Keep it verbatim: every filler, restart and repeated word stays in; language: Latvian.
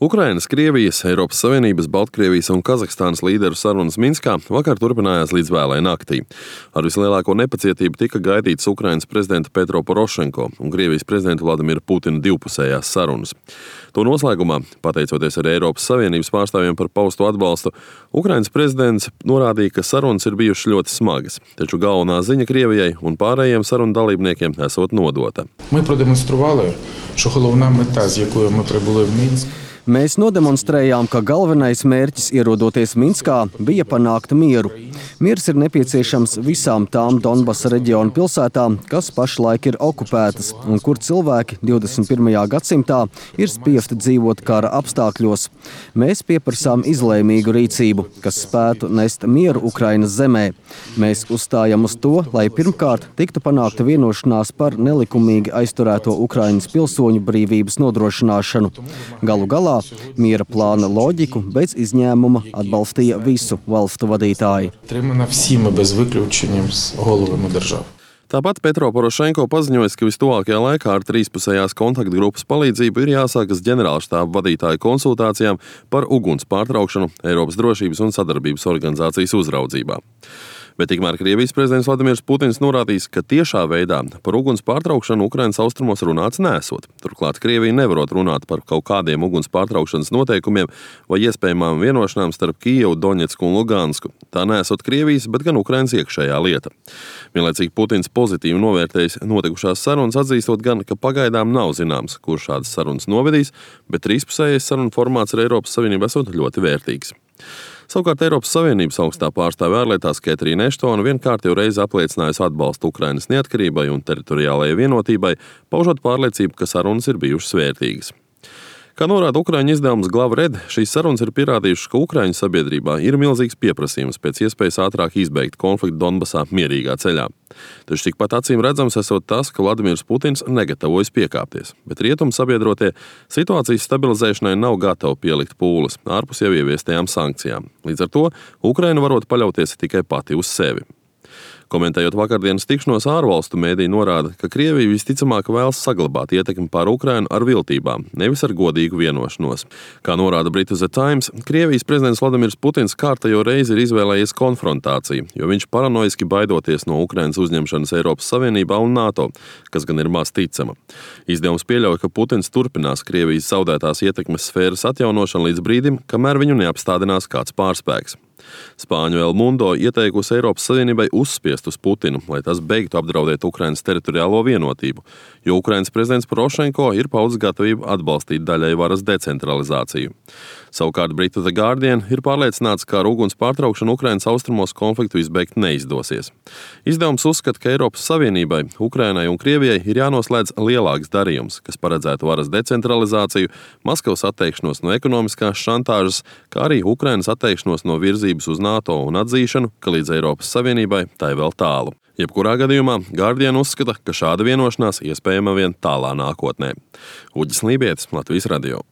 Ukrainas, Krievijas, Eiropas Savienības, Baltkrievijas un Kazahstānas līderu sarunas Minskā vakar turpinājās līdz vēlai naktī. Ar vislielāko nepacietību tika gaidīts Ukrainas prezidenta Petro Porošenko un Krievijas prezidenta Vladimira Putina divpusējās sarunas. To noslēgumā, pateicoties arī Eiropas Savienības pārstāvjiem par pausto atbalstu, Ukrainas prezidents norādīja, ka sarunas ir bijušas ļoti smagas, taču galvenā ziņa Krievijai un pārējiem sarunu dalībniekiem esot nodota. Ми продемонстрували, що головна мета, з якою ми прибули в Мінськ, Mēs nodemonstrējām, ka galvenais mērķis ierodoties Minskā bija panākt mieru. Miers ir nepieciešams visām tām Donbasa reģiona pilsētām, kas pašlaik ir okupētas un kur cilvēki divdesmit pirmajā gadsimtā ir spiesti dzīvot kara apstākļos. Mēs pieprasām izlēmīgu rīcību, kas spētu nest mieru Ukrainas zemē. Mēs uzstājam uz to, lai pirmkārt tiktu panākta vienošanās par nelikumīgi aizturēto Ukrainas pilsoņu brīvības nodrošināšanu. Galu galā miera plāna loģiku bez izņēmuma atbalstīja visu valstu vadītāji. підтримана всіми без виключення з головами держав. Tāpat Petro Porošenko paziņoja, ka vistuvākajā laikā ar trīspusējās kontaktgrupas palīdzību ir jāsākas ģenerālštāba vadītāju konsultācijām par uguns pārtraukšanu Eiropas drošības un sadarbības organizācijas uzraudzībā. Bet tikmēr Krievijas prezidents Vladimirs Putins norādījis, ka tiešā veidā par uguns pārtraukšanu Ukrainas austrumos runāts nesot. Turklāt Krievija nevarot runāt par kaut kādiem uguns pārtraukšanas noteikumiem vai iespējamām vienošanām starp Kijevu, Doņetsku un Lugansku. Tā nesot Krievijas, bet gan Ukrainas iekšējā lieta. Vienlaicīgi Putins pozitīvi novērtējis notikušās sarunas, atzīstot gan, ka pagaidām nav zināms, kur šādas sarunas novedīs, bet trīspusējais sarunu formāts ar Eiropas Savienību esot ļoti vērtīgs. Savukārt Eiropas Savienības augstā pārstāve ārlietās Ketrīna Eštona vienkārt jau reizi apliecinājusi atbalstu Ukrainas neatkarībai un teritoriālajai vienotībai, paužot pārliecību, ka sarunas ir bijušas vērtīgas. Kā norāda Ukraiņu izdevums Glavred, šīs sarunas ir pierādījušas, ka Ukraiņu sabiedrībā ir milzīgs pieprasījums pēc iespējas ātrāk izbeigt konfliktu Donbasā mierīgā ceļā. Taču tikpat acīm redzams esot tas, ka Vladimirs Putins negatavojas piekāpties, bet rietumu sabiedrotie situācijas stabilizēšanai nav gatavi pielikt pūles ārpus jau ieviestajām sankcijām. Līdz ar to Ukraina varot paļauties tikai pati uz sevi. Komentējot vakardienas tikšanos, ārvalstu mēdīji norāda, ka Krievija visticamāk vēlas saglabāt ietekmi pār Ukrainu ar viltībām, nevis ar godīgu vienošanos. Kā norāda Britu The Times, Krievijas prezidents Vladimirs Putins kārtējo reizi ir izvēlējies konfrontāciju, jo viņš paranoiski baidoties no Ukrainas uzņemšanas Eiropas Savienībā un NATO, kas gan ir maz ticama. Izdevums pieļauj, ka Putins turpinās Krievijas zaudētās ietekmes sfēras atjaunošanu līdz brīdim, kamēr viņu neapstādinās kāds pārspēks. Spāņu El Mundo ieteikusi Eiropas Savienībai uzspiest uz Putinu, lai tas beigtu apdraudēt Ukrainas teritoriālo vienotību, jo Ukrainas prezidents Porošenko ir paudis gatavību atbalstīt daļai varas decentralizāciju. Savukārt Britu The Guardian ir pārliecināts, ka ar uguns pārtraukšanu Ukrainas austrumos konfliktu izbeigt neizdosies. Izdevums uzskata, ka Eiropas Savienībai, Ukrainai un Krievijai ir jānoslēdz lielāks darījums, kas paredzētu varas decentralizāciju, Maskavas atteikšanos no ekonomiskās šantāžas, kā arī Ukrainas atteikšanos no virzības uz NATO un atzīšanu, ka līdz Eiropas Savienībai tai vēl tālu. Jebkurā gadījumā Guardian uzskata, ka šāda vienošanās iespējama vien tālā nākotnē. Uģis Lībietis, Latvijas radio.